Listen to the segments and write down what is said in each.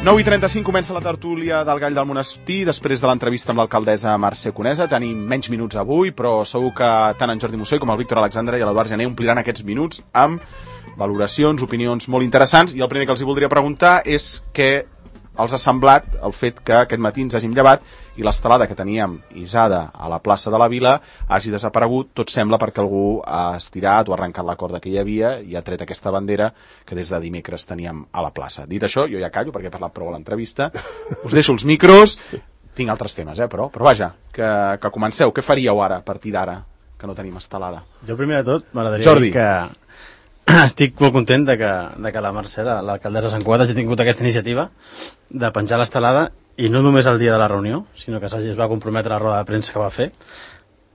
9:35 comença la tertúlia del Gall del Monestir després de l'entrevista amb l'alcaldessa Mercè Conesa. Tenim menys minuts avui, però segur que tant en Jordi Mussoi com el Víctor Alexandre i l'Eduard Gené ompliran aquests minuts amb valoracions, opinions molt interessants. I el primer que els hi voldria preguntar és què els ha semblat el fet que aquest matí ens hàgim llevat i l'estelada que teníem hissada a la plaça de la Vila hagi desaparegut, tot sembla perquè algú ha estirat o ha arrencat la corda que hi havia i ha tret aquesta bandera que des de dimecres teníem a la plaça. Dit això, jo ja callo perquè he parlat prou a l'entrevista, us deixo els micros, tinc altres temes, però vaja, que comenceu. Què faríeu ara, a partir d'ara, que no tenim estelada? Jo primer de tot m'agradaria dir que estic molt content de que la Mercè, l'alcaldessa de Sant Cugat, hagi tingut aquesta iniciativa de penjar l'estelada, i no només el dia de la reunió, sinó que es va comprometre a la roda de premsa que va fer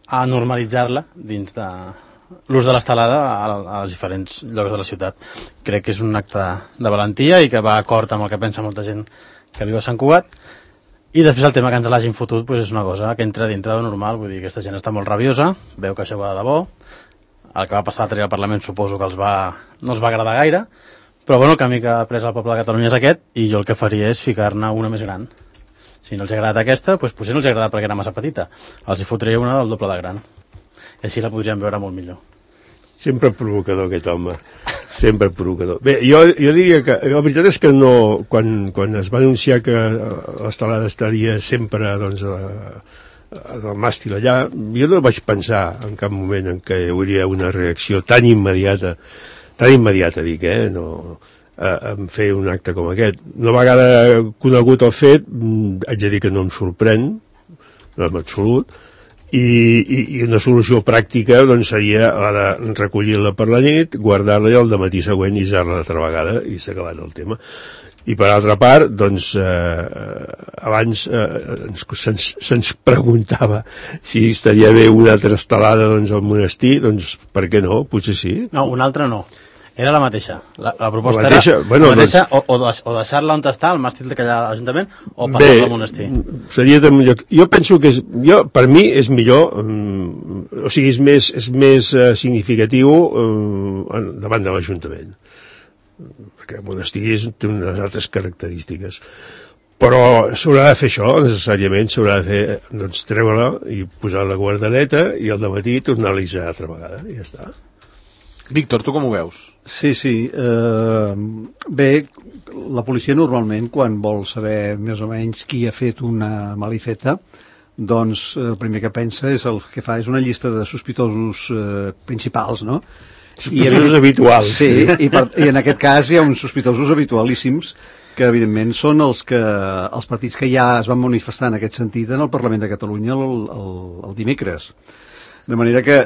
a normalitzar-la dins de l'ús de l'estelada als diferents llocs de la ciutat. Crec que és un acte de valentia i que va d'acord amb el que pensa molta gent que viu a Sant Cugat. I després el tema que ens l'hagin fotut és una cosa que entra dintre de normal, vull dir, aquesta gent està molt rabiosa, veu que això va de debò. El que va passar l'altre dia al Parlament suposo que no els va agradar gaire, però bueno, el camí que ha pres el poble de Catalunya és aquest, i jo el que faria és ficar-ne una més gran. Si no els ha agradat aquesta, doncs potser no els ha agradat perquè era massa petita. Els hi fotria una del doble de gran. I així la podríem veure molt millor. Sempre provocador aquest home, sempre provocador. Bé, jo diria que la veritat és que no, quan es va anunciar que l'estelada estaria sempre doncs, del màstil allà, jo no vaig pensar en cap moment en què hi hauria una reacció tan immediata dic, no, en fer un acte com aquest. Una vegada conegut el fet, haig de dir que no em sorprèn, no en absolut, i una solució pràctica doncs, seria la de recollir-la per la nit, guardar-la i el dematí següent hissar-la altra vegada i s'ha acabat el tema. I per altra part, doncs, abans se'ns preguntava si estaria bé una altra estelada doncs, al monestir, doncs per què no? Potser sí. No, una altra no. Era la mateixa. La proposta era la mateixa, o deixar-la on està, al màstil que hi ha a l'Ajuntament, o passar-la al monestir. Seria de millor. Jo penso que per mi és millor, o sigui, és més significatiu davant de l'Ajuntament. Perquè el monestir té unes altres característiques. Però s'haurà de fer això, necessàriament, s'haurà de fer, doncs, treure-la i posar la guardareta i al dematí tornar-la a hissar altra vegada, i ja està. Víctor, tu com ho veus? Sí. Bé, la policia normalment, quan vol saber més o menys qui ha fet una malifeta, doncs el primer que pensa és el que fa és una llista de sospitosos principals, no? Sospitosos habituals. Sí, i en aquest cas hi ha uns sospitosos habitualíssims que evidentment són els partits que ja es van manifestar en aquest sentit en el Parlament de Catalunya el dimecres. De manera que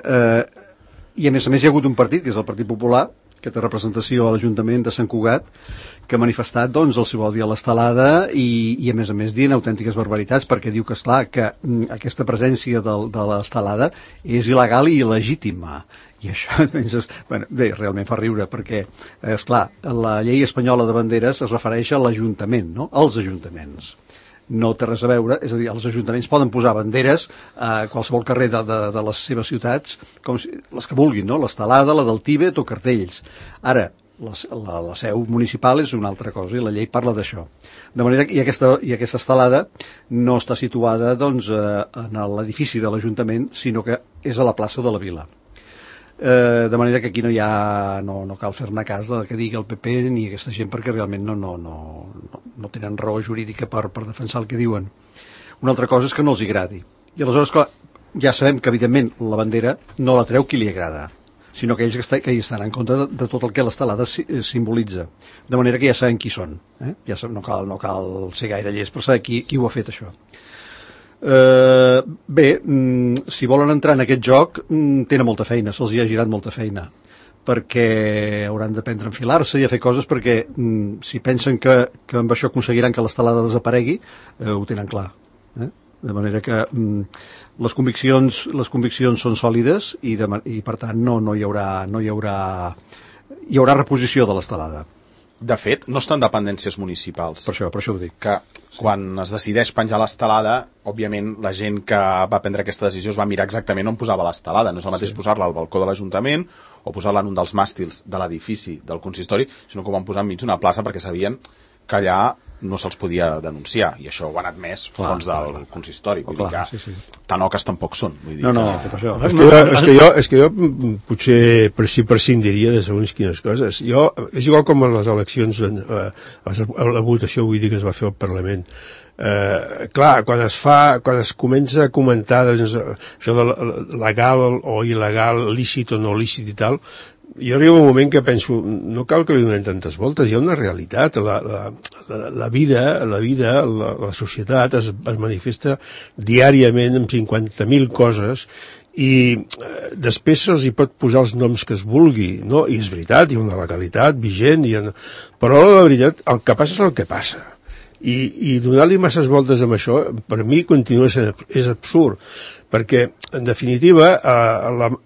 i a més hi ha hagut un partit, que és el Partit Popular, que té representació a l'Ajuntament de Sant Cugat, que ha manifestat doncs, el seu odi a l'estelada i a més dient autèntiques barbaritats, perquè diu que, esclar, que aquesta presència de l'estelada és il·legal i il·legítima. I això, bé, realment fa riure, perquè, esclar, la llei espanyola de banderes es refereix a l'Ajuntament, no? Als ajuntaments. No té res a veure, és a dir, els ajuntaments poden posar banderes a qualsevol carrer de les seves ciutats, com les que vulguin, no? L'estelada, la del Tíbet o cartells. Ara, la seu municipal és una altra cosa i la llei parla d'això. De manera que aquesta estelada no està situada doncs, en l'edifici de l'Ajuntament, sinó que és a la plaça de la Vila. De manera que aquí no cal fer-ne cas del que digui el PP ni aquesta gent, perquè realment no tenen raó jurídica per defensar el que diuen. Una altra cosa és que no els agradi. I aleshores, clar, ja sabem que evidentment la bandera no la treu qui li agrada, sinó que ells que hi estan en contra de tot el que l'estelada simbolitza. De manera que ja sabem qui són. Ja no cal ser gaire llest per saber qui ho ha fet, això. Bé, si volen entrar en aquest joc tenen molta feina, se'ls hi ha girat molta feina, perquè hauran d'aprendre a enfilar-se i a fer coses, perquè si pensen que amb això aconseguiran que l'estelada desaparegui, ho tenen clar. De manera que les conviccions són sòlides i per tant no hi haurà reposició de l'estelada. De fet, no estan dependències municipals. Per això ho dic. Que quan es decideix penjar l'estelada, òbviament la gent que va prendre aquesta decisió es va mirar exactament on posava l'estelada. No és el mateix posar-la al balcó de l'Ajuntament o posar-la en un dels màstils de l'edifici del consistori, sinó que ho van posar enmig d'una plaça perquè sabien que allà no se'ls podia denunciar, i això ho han admès fons del consistori. Vull dir que tan oques tampoc són. Vull dir per això. És que jo potser prescindiria de segons quines coses. És igual com en les eleccions, la votació, vull dir, que es va fer al Parlament. Clar, quan es comença a comentar doncs, això de legal o il·legal, lícit o no lícit i tal, jo arribo un moment que penso, no cal que li donem tantes voltes, hi ha una realitat, la vida, la societat es manifesta diàriament amb 50.000 coses i després se'ls hi pot posar els noms que es vulgui, no? I és veritat, hi ha una legalitat vigent, però la veritat, el que passa és el que passa. I donar-li masses voltes amb això, per mi continua sent, és absurd, perquè, en definitiva,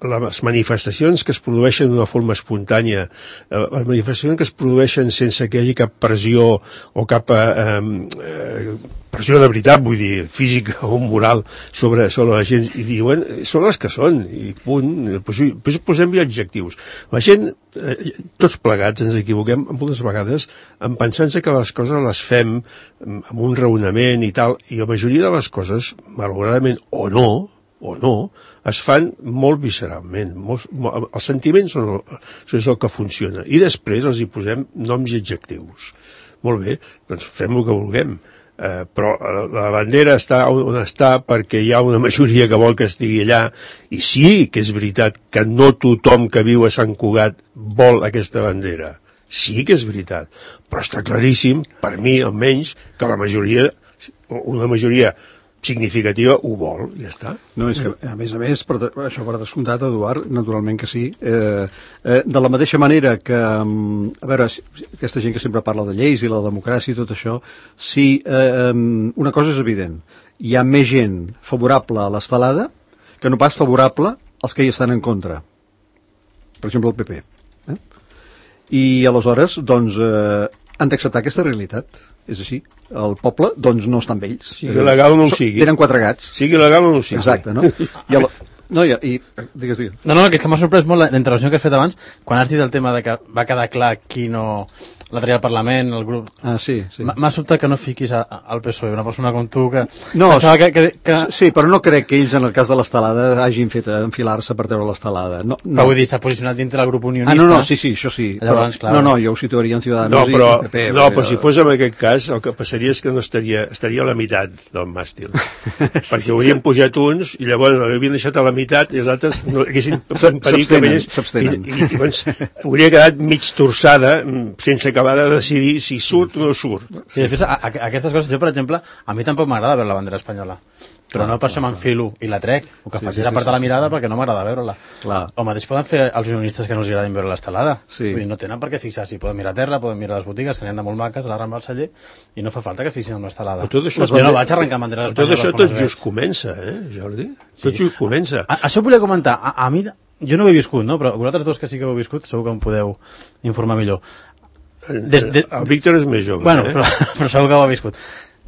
les manifestacions que es produeixen d'una forma espontània, les manifestacions que es produeixen sense que hi hagi cap pressió o cap pressió de veritat, vull dir, física o moral sobre la gent, i diuen, són les que són, i punt. Després posem-hi adjectius. La gent, tots plegats, ens equivoquem moltes vegades en pensar-se que les coses les fem amb un raonament i tal, i la majoria de les coses, malauradament o no, es fan molt visceralment. Els sentiments és el que funciona. I després els hi posem noms i adjectius. Molt bé, doncs fem el que vulguem. Però la bandera està on està perquè hi ha una majoria que vol que estigui allà, i sí que és veritat que no tothom que viu a Sant Cugat vol aquesta bandera. Sí que és veritat. Però està claríssim, per mi almenys, que la majoria, una majoria significativa, ho vol, ja està. No, és que, a més, això per descomptat, Eduard, naturalment que sí. De la mateixa manera que, a veure, aquesta gent que sempre parla de lleis i la democràcia i tot això, sí, una cosa és evident, hi ha més gent favorable a l'estelada que no pas favorable als que hi estan en contra. Per exemple, el PP. I aleshores, doncs, han d'acceptar aquesta realitat. És així. El poble, doncs, no està amb ells. Sigui legal o no ho sigui. Tenen 4 gats. Sigui legal o no ho sigui. Exacte, no? Digues. No, que és que m'ha sorprès molt la intervenció que has fet abans, quan has dit el tema de que va quedar clar qui no la tria al Parlament, el grup... Ah, sí. M'ha sobtat que no fiquis al PSOE, una persona com tu que... No, sí, però no crec que ells, en el cas de l'estelada, hagin fet enfilar-se per treure l'estelada. No. Però vull dir, s'ha posicionat dintre del grup unionista. No, sí, això sí. Llavors, però, no, jo ho situaria en Ciudadanos i PP. No, però si fos en aquest cas, el que passaria és que no estaria a la meitat del màstil. Perquè haurien pujat uns i llavors l'haurien deixat a la meitat i els altres no haguessin impedit que s'abstenen. I llavors hauria quedat mig torçada sense acabar de decidir si surt o no surt. Sí, després, aquestes coses, jo, per exemple, a mi tampoc m'agrada veure la bandera espanyola. Però no per això m'enfilo i la trec. El que faig és apartar la mirada perquè no m'agrada veure-la. O mateix poden fer els unionistes que no els agradin veure l'estelada. Vull dir, no tenen per què fixar-s'hi. Poden mirar a terra, poden mirar les botigues, que n'hi ha de molt maques, a la Rambla del Celler, i no fa falta que fixin amb l'estelada. Jo no vaig arrencar banderes espanyoles. Tot això tot just comença, Jordi? Tot just comença. Això volia comentar. A mi, jo no ho he viscut, no? Però vosaltres dos que sí que ho heu viscut, segur que em podeu informar millor. El Víctor és més jove. Bueno, però segur que ho ha viscut.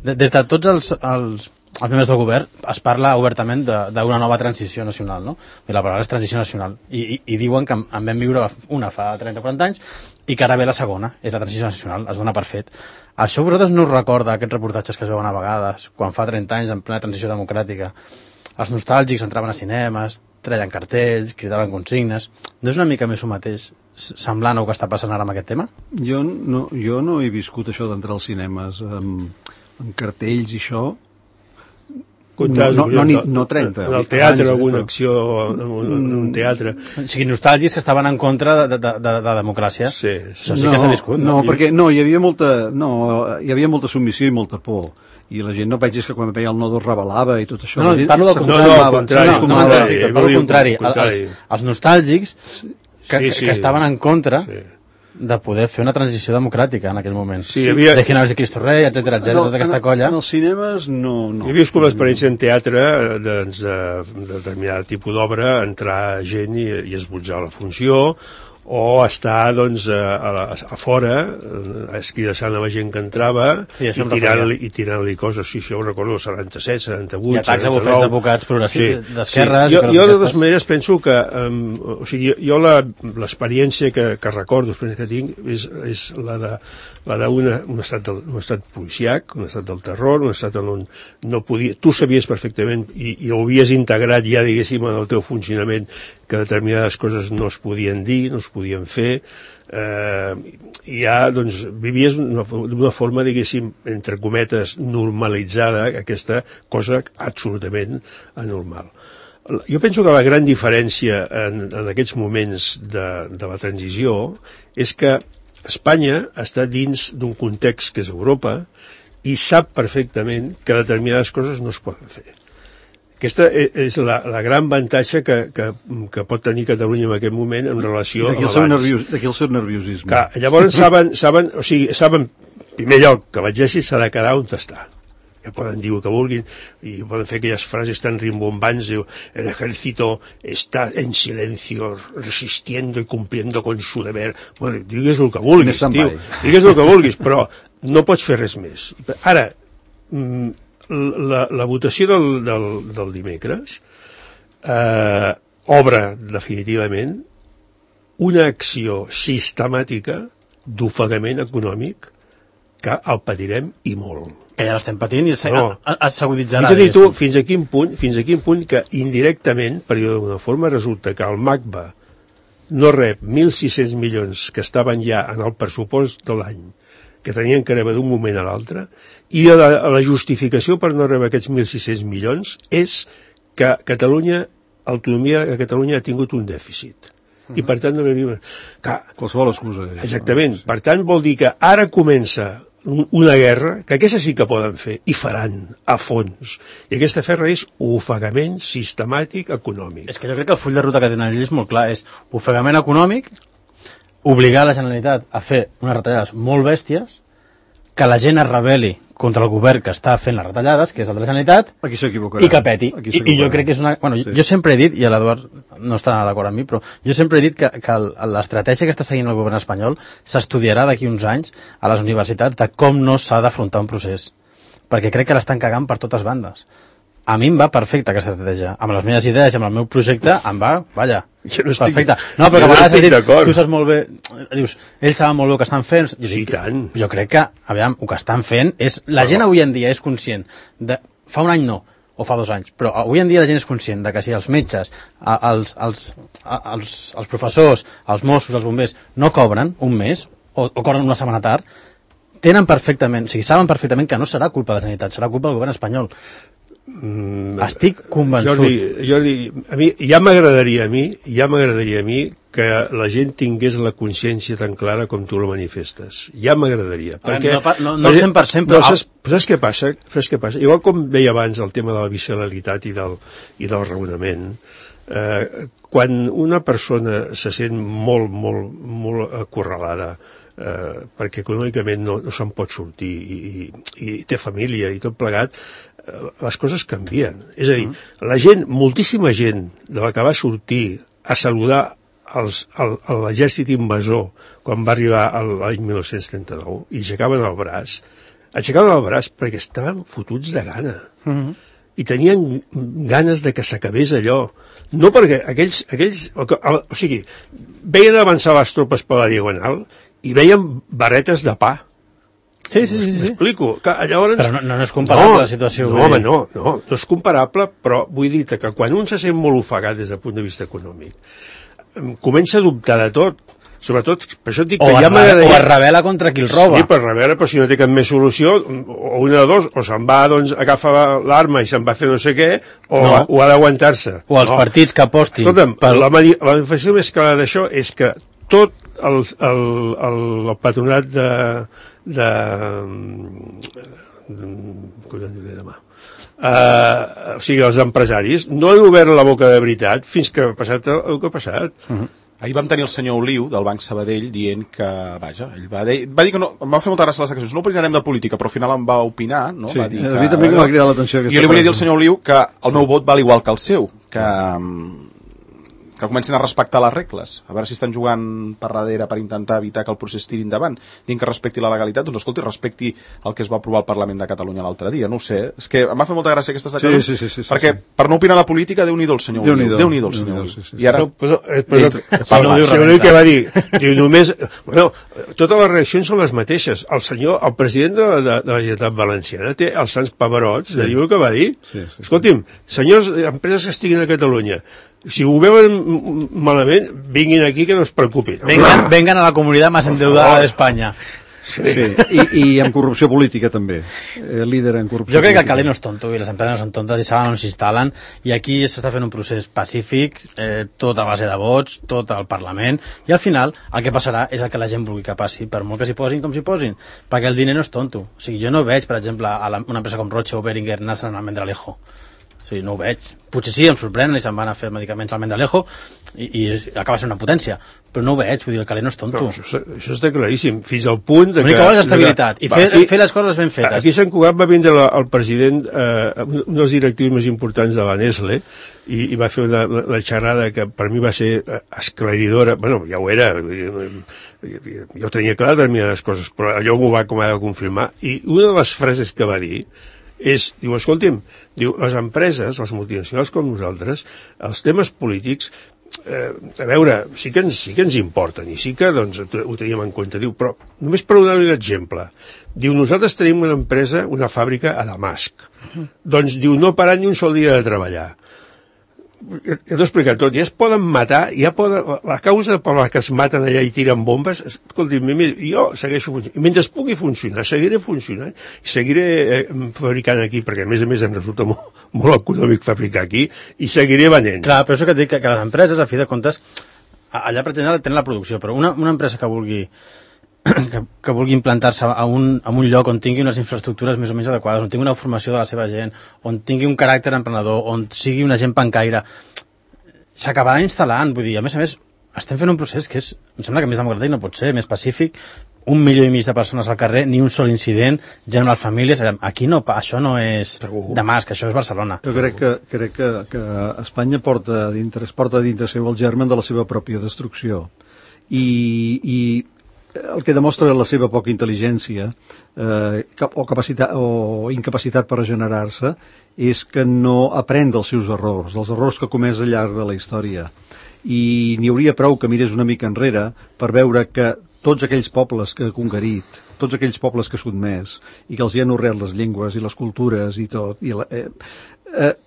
Des de tots els membres del govern es parla obertament d'una nova transició nacional, no? I la paraula és transició nacional. I diuen que en vam viure una fa 30-40 anys i que ara ve la segona, és la transició nacional, es dona per fet. Això vosaltres no us recorda aquests reportatges que es veuen a vegades, quan fa 30 anys, en plena transició democràtica, els nostàlgics entraven a cinemes, treien cartells, cridaven consignes. No és una mica més ho mateix, semblant al que està passant ara amb aquest tema? Jo no he viscut això d'entrar als cinemes amb cartells i això. No 30. En el teatre, alguna acció en un teatre. O sigui, nostàlgics que estaven en contra de democràcia. Sí. Això sí que s'ha viscut. No, perquè hi havia molta submissió i molta por. I la gent no vegis que quan veia el nodo es rebel·lava i tot això. No, parlo del contrari. Els nostàlgics que estaven en contra de poder fer una transició democràtica en aquell moment. De Ginebra i Cristo Rei, etcètera, tota aquesta colla. En els cinemes, no. He viscut l'experiència en teatre de determinat tipus d'obra, entrar gent i esbotzar la funció, o estar doncs, a fora escridassant a la gent que entrava i tirant-li coses. Sí, això ho recordo, 77, 78, i atacs a bufets d'advocats progressius d'esquerres. Jo de totes maneres penso que o sigui, jo l'experiència que recordo, l'experiència que tinc és la d'un estat policiac, un estat del terror, un estat on no podia... Tu sabies perfectament i ho havies integrat ja, diguéssim, en el teu funcionament, que determinades coses no es podien dir, no es podien fer, i ja, doncs, vivies d'una forma, diguéssim, entre cometes, normalitzada, aquesta cosa absolutament anormal. Jo penso que la gran diferència en aquests moments de la transició és que Espanya està dins d'un context que és Europa i sap perfectament que determinades coses no es poden fer. Aquesta és la gran avantatge que pot tenir Catalunya en aquest moment en relació amb abans. D'aquí el seu nerviosisme. Clar, llavors saben, en primer lloc, que l'exèrcit s'ha de quedar on està. Que poden dir el que vulguin i poden fer aquelles frases tan rimbombants, diu, el ejército está en silencio resistiendo y cumpliendo con su deber. Bueno, digues el que vulguis, tio, digues el que vulguis, però no pots fer res més. Ara, la votació del dimecres obre definitivament una acció sistemàtica d'ofegament econòmic que el patirem i molt. Que ja l'estem patint i s'aguditzarà. Fins a quin punt que indirectament, per dir d'alguna forma, resulta que el MACBA no rep 1.600 milions que estaven ja en el pressupost de l'any, que tenien que rebre d'un moment a l'altre, i la justificació per no rebre aquests 1.600 milions és que l'autonomia de Catalunya ha tingut un dèficit. I per tant no rebia... Qualsevol excusa. Exactament. Per tant vol dir que ara comença una guerra, que aquesta sí que poden fer, i faran, a fons. I aquesta guerra és ofegament sistemàtic econòmic. És que jo crec que el full de ruta que tenen ells és molt clar, és ofegament econòmic, obligar la Generalitat a fer unes retallades molt bèsties, que la gent es rebel·li contra el govern que està fent les retallades, que és el de la Generalitat, i que peti. I jo crec que és una... Bueno, jo sempre he dit, i l'Eduard no està d'acord amb mi, però jo sempre he dit que l'estratègia que està seguint el govern espanyol s'estudiarà d'aquí uns anys a les universitats de com no s'ha d'afrontar un procés. Perquè crec que l'estan cagant per totes bandes. A mi em va perfecta aquesta estratègia. Amb les meves idees i amb el meu projecte em va, vaja, perfecte. No, però que a vegades has dit, tu saps molt bé, dius, ells saben molt bé el que estan fent. Jo crec que, aviam, el que estan fent és... La gent avui en dia és conscient de... Fa un any no, o fa 2 anys, però avui en dia la gent és conscient de que si els metges, els professors, els Mossos, els bombers, no cobren un mes, o cobren una setmana tard, tenen perfectament, o sigui, saben perfectament que no serà culpa de la sanitat, serà culpa del govern espanyol. Estic convençut. Jordi, a mi ja m'agradaria a mi que la gent tingués la consciència tan clara com tu la manifestes. Ja m'agradaria. No el 100%, però... Saps què passa? Igual com deia abans el tema de la visceralitat i del raonament, quan una persona se sent molt, molt, molt acorralada, perquè econòmicament no se'n pot sortir i té família i tot plegat, les coses canvien. És a dir, la gent, moltíssima gent de la que va sortir a saludar l'exèrcit invasor quan va arribar l'any 1939 i aixecaven el braç perquè estaven fotuts de gana i tenien ganes de que s'acabés allò. No perquè aquells o sigui, veien avançar les tropes per la diagonal i veien barretes de pa. Sí. M'explico. Llavors... Però no és comparable la situació. No, home, no és comparable, però vull dir que quan un se sent molt ofegat des del punt de vista econòmic, comença a dubtar de tot. Sobretot, per això et dic que ja m'agradaria... O es rebel·la contra qui el roba. Sí, però si no té cap més solució, o una de dos, o se'n va, doncs, agafa l'arma i se'n va fer no sé què, o ha d'aguantar-se. O els partits que apostin. Escolta'm, la manifestació més clara d'això és que tot el patronat o sigui, els empresaris no han obert la boca de veritat fins que ha passat el que ha passat. Ahir vam tenir el senyor Oliu del Banc Sabadell dient que, vaja, ell va dir que no, em va fer molta gràcia les declaracions, no opinarem de política, però al final em va opinar, no? Sí, va dir a mi també m'ha cridat l'atenció. Jo li volia dir al senyor Oliu que el meu vot val igual que el seu, que que comencin a respectar les regles, a veure si estan jugant per darrere per intentar evitar que el procés tiri endavant, dient que respecti la legalitat, doncs escolti, respecti el que es va aprovar al Parlament de Catalunya l'altre dia, no ho sé, és que m'ha fet molta gràcia aquestes declaracions, perquè per no opinar la política, Déu-n'hi-do el senyor Déu-n'hi-do el senyor i ara... Però què va dir? Diu, només... Bueno, totes les reaccions són les mateixes. El president de la Generalitat Valenciana té els sants pavarots de dir el que va dir. Escolti'm, senyors, empreses que estiguin a Catalunya, si ho veuen malament, vinguin aquí que no es preocupin. Vengan a la comunitat més endeudada d'Espanya. Sí. I amb corrupció política també, líder en corrupció jo crec política. que el calent no és tonto i les empreses no són tontes i saben on s'instal·len i aquí s'està fent un procés pacífic, tot a base de vots, tot al Parlament, i al final el que passarà és el que la gent vulgui que passi, per molt que s'hi posin com s'hi posin, perquè el diner no és tonto. O sigui, jo no veig, per exemple, a una empresa com Roche o Beringer anar-se'n al Mendralejo. O sigui, no ho veig. Potser sí, em sorprenen i se'n van a fer medicaments al Mendralejo i acaba sent una potència, però no ho veig, vull dir, el calent no és tonto. No, això està claríssim, fins al punt de que... L'única cosa és estabilitat i fer les coses ben fetes. Aquí a Sant Cugat va vindre el president, un dels directius més importants de la Nestlé, i va fer una xerrada que per mi va ser esclaridora. Bueno, ja ho era, jo tenia clar determinades coses, però allò m'ho va com a de confirmar, i una de les frases que va dir diu, escolti'm, diu, les empreses, les multinacionals com nosaltres, els temes polítics, a veure, sí que ens importen i sí que doncs, ho teníem en compte, diu, però només per donar un exemple, diu, nosaltres tenim una empresa, una fàbrica a Damasc, doncs diu, no paran ni un sol dia de treballar. Ja t'ho he explicat tot, ja es poden matar, la causa per la que es maten allà i tiren bombes, escolti'm, jo segueixo funcionant, mentre es pugui funcionar, seguiré funcionant, i seguiré fabricant aquí, perquè a més em resulta molt econòmic fabricar aquí, i seguiré venent. Clar, però això que et dic, que les empreses, a fi de comptes, allà pretenen tenir la producció, però una empresa que vulgui implantar-se a un lloc on tingui unes infraestructures més o menys adequades, on tingui una formació de la seva gent, on tingui un caràcter emprenedor, on sigui una gent pancaire, s'acabarà instal·lant. Vull dir, a més, estem fent un procés que em sembla que més democràtic no pot ser, més pacífic, 1,5 milió de persones al carrer, ni un sol incident, gent amb les famílies. Aquí no, això no és Damasc, això és Barcelona. Jo crec que Espanya porta dintre seu el germen de la seva pròpia destrucció. I el que demostra la seva poca intel·ligència o incapacitat per regenerar-se és que no aprèn dels seus errors, dels errors que ha comès al llarg de la història. I n'hi hauria prou que mirés una mica enrere per veure que tots aquells pobles que ha conquerit, tots aquells pobles que ha sotmès i que els hi han honrat les llengües i les cultures i tot,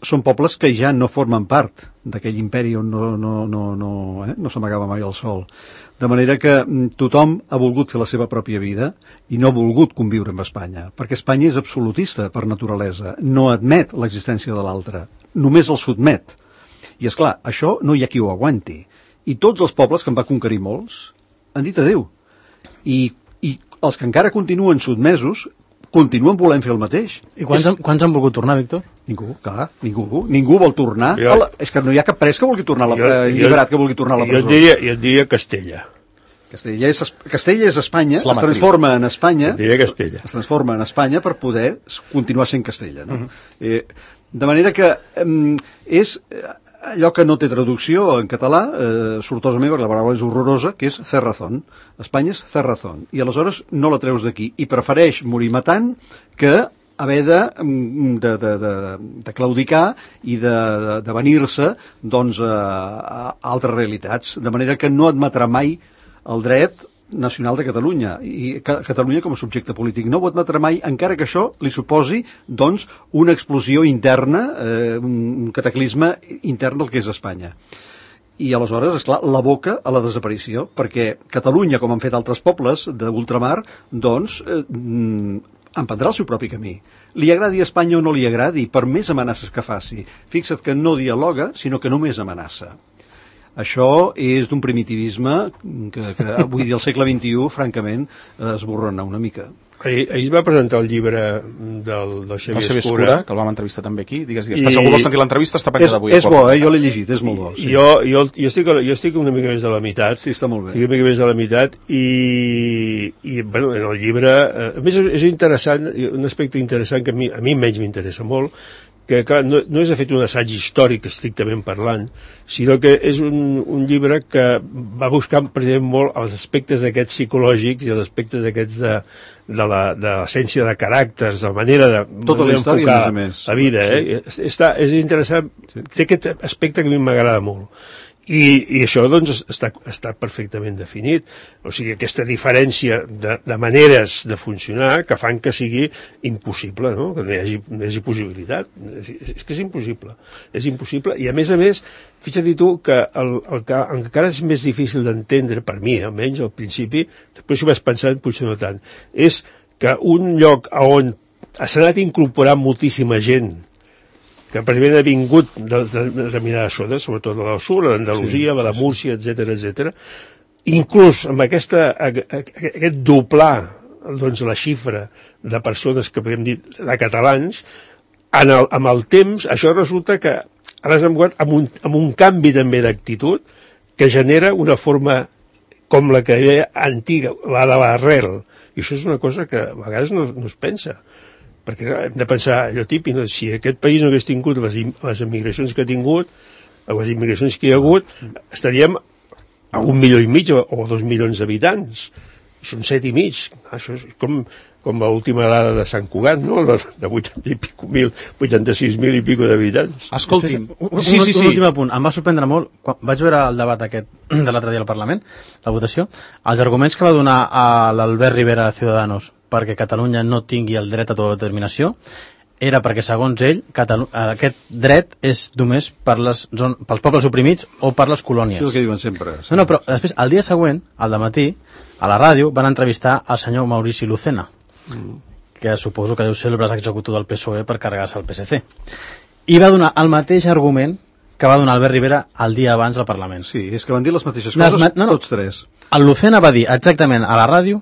són pobles que ja no formen part d'aquell imperi on no s'amagava mai el sol. De manera que tothom ha volgut fer la seva pròpia vida i no ha volgut conviure amb Espanya, perquè Espanya és absolutista per naturalesa, no admet l'existència de l'altre, només el sotmet. I és clar, això no hi ha qui ho aguanti. I tots els pobles, que en va conquerir molts, han dit adéu. I els que encara continuen sotmesos continuen volent fer el mateix. I quants han volgut tornar, Víctor? Ningú, clar, ningú vol tornar. És que no hi ha cap pres que vulgui tornar, alliberat que vulgui tornar a la presó. Jo et diria Castella. Castella és Espanya, es transforma en Espanya, es transforma en Espanya per poder continuar sent Castella. No? De manera que és allò que no té traducció en català, sortosament, perquè la paraula és horrorosa, que és cerrazón. Espanya és cerrazón. I aleshores no la treus d'aquí. I prefereix morir matant que haver de claudicar i de venir-se doncs, a altres realitats. De manera que no admetrà mai el dret nacional de Catalunya i Catalunya com a subjecte polític no ho admetrà mai, encara que això li suposi doncs una explosió interna, un cataclisme intern del que és Espanya. I aleshores, esclar, l'aboca a la desaparició, perquè Catalunya, com han fet altres pobles d'ultramar, doncs emprendrà el seu propi camí. Li agradi a Espanya o no li agradi, per més amenaces que faci. Fixa't que no dialoga, sinó que només amenaça. Això és d'un primitivisme que avui dia al segle XXI, francament, esborrona una mica. Ahir es va presentar el llibre del Xavier Escura, que el vam entrevistar també aquí. Digues. Si algú vol sentir l'entrevista, està penjat avui. És bo, jo l'he llegit, és molt bo. Sí. Jo estic una mica més de la meitat. Sí, està molt bé. Estic una mica més de la meitat i bueno, en el llibre... A més, és interessant, un aspecte interessant que a mi menys m'interessa molt, que clar, no és de fet un assaig històric estrictament parlant, sinó que és un llibre que va buscar precisament molt els aspectes d'aquests psicològics i els aspectes d'aquests de l'essència de caràcters, de la manera d'enfocar la vida. És interessant, té aquest aspecte que a mi m'agrada molt. I això doncs està perfectament definit, o sigui, aquesta diferència de maneres de funcionar que fan que sigui impossible, no? Que no hi hagi possibilitat, és que és impossible, i a més, fixa't tu que el que encara és més difícil d'entendre, per mi almenys al principi, després ho vaig pensar, potser no tant, és que un lloc on s'ha anat incorporant moltíssima gent que precisament ha vingut de determinades zones, sobretot de la sud, l'Andalusia, la Múrcia, etc. Inclús amb aquest doblar doncs, la xifra de persones que podem dir de catalans, amb el temps això resulta que ara s'ha enguat amb un canvi també d'actitud que genera una forma com la que era antiga, la de l'arrel, i això és una cosa que a vegades no es pensa. Perquè hem de pensar allò típic, no? Si aquest país no hagués tingut les emigracions que ha tingut, o les immigracions que hi ha hagut, estaríem a 1,5 milions o 2 milions d'habitants. Són 7,5 milions. Això és com l'última dada de Sant Cugat, no? De 86.000 i pico d'habitants. Escolti'm, un últim apunt. Em va sorprendre molt, quan vaig veure el debat aquest de l'altre dia al Parlament, la votació, els arguments que va donar a l'Albert Rivera de Ciudadanos perquè Catalunya no tingui el dret a autodeterminació era perquè, segons ell, aquest dret és només pels pobles oprimits o per les colònies. Això és el que diuen sempre. No, però després, el dia següent, al dematí, a la ràdio, van entrevistar el senyor Maurici Lucena, que suposo que deu ser el braç executor del PSOE per carregar-se el PSC. I va donar el mateix argument que va donar Albert Rivera el dia abans al Parlament. Sí, és que van dir les mateixes coses, tots tres. El Lucena va dir exactament a la ràdio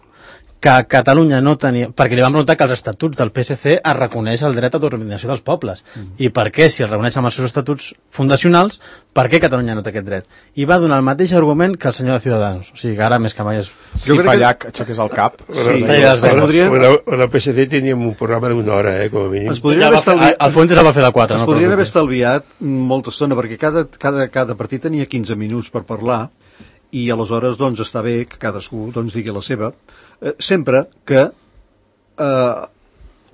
que Catalunya no tenia... Perquè li van preguntar que els estatuts del PSC es reconeix el dret a autodeterminació dels pobles. I per què, si el reconeixen amb els seus estatuts fundacionals, per què Catalunya no té aquest dret? I va donar el mateix argument que el senyor de Ciudadanos. O sigui, que ara més que mai és... Si Fallac aixequés el cap... El PSC teníem un programa d'una hora, com a mínim. El Fuentes el va fer de 4. Es podrien haver estalviat molta estona, perquè cada partit tenia 15 minuts per parlar, i aleshores doncs està bé que cadascú doncs digui la seva, sempre que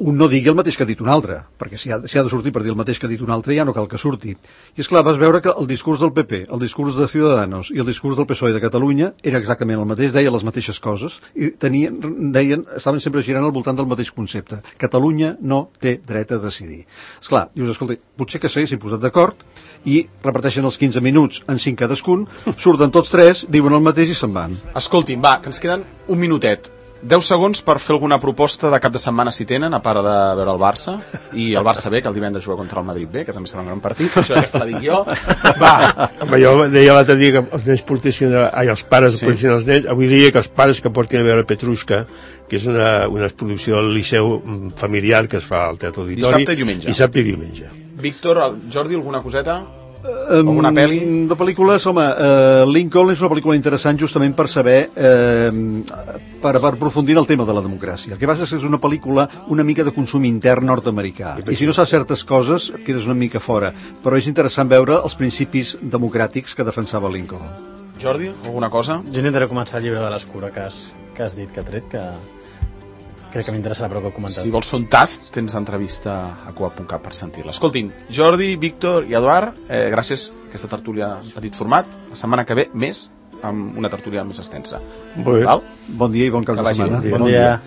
un no digui el mateix que ha dit un altre, perquè si ha de sortir per dir el mateix que ha dit un altre ja no cal que surti. I és clar, vas veure que el discurs del PP, el discurs de Ciudadanos i el discurs del PSOE de Catalunya era exactament el mateix, deia les mateixes coses i estaven sempre girant al voltant del mateix concepte. Catalunya no té dret a decidir. És clar, dius, escolta, potser que s'haguessin posat d'acord i reparteixen els 15 minuts en 5 cadascun, surten tots tres, diuen el mateix i se'n van. Escolti'm, va, que ens queden un minutet. 10 segons per fer alguna proposta de cap de setmana si tenen, a part de veure el Barça i el Barça B, que el divendres juga contra el Madrid B, que també serà un gran partit, això aquesta la dic jo. Va. Jo deia l'altre dia que els nens portessin, els pares portessin els nens, avui dia que els pares que portin a veure Petrushka, que és una producció del Liceu familiar que es fa al Teatre Auditori. Dissabte i diumenge. Víctor, Jordi, alguna coseta? Alguna pel·li? De pel·lícules, home, Lincoln és una pel·lícula interessant justament per saber, per aprofundir en el tema de la democràcia. El que passa és que és una pel·lícula una mica de consum intern nord-americà, i si no saps certes coses et quedes una mica fora, però és interessant veure els principis democràtics que defensava Lincoln. Jordi, alguna cosa? Jo intentaré començar el llibre de l'Escura que has dit, que ha tret, que crec que m'interessarà prou que he comentat. Si vols fer un tast, tens entrevista a Coa.cat per sentir-la. Escoltin, Jordi, Víctor i Eduard, gràcies a aquesta tertúlia en petit format. La setmana que ve, més, amb una tertúlia més extensa. Bon dia i bon cap de setmana. Bon dia.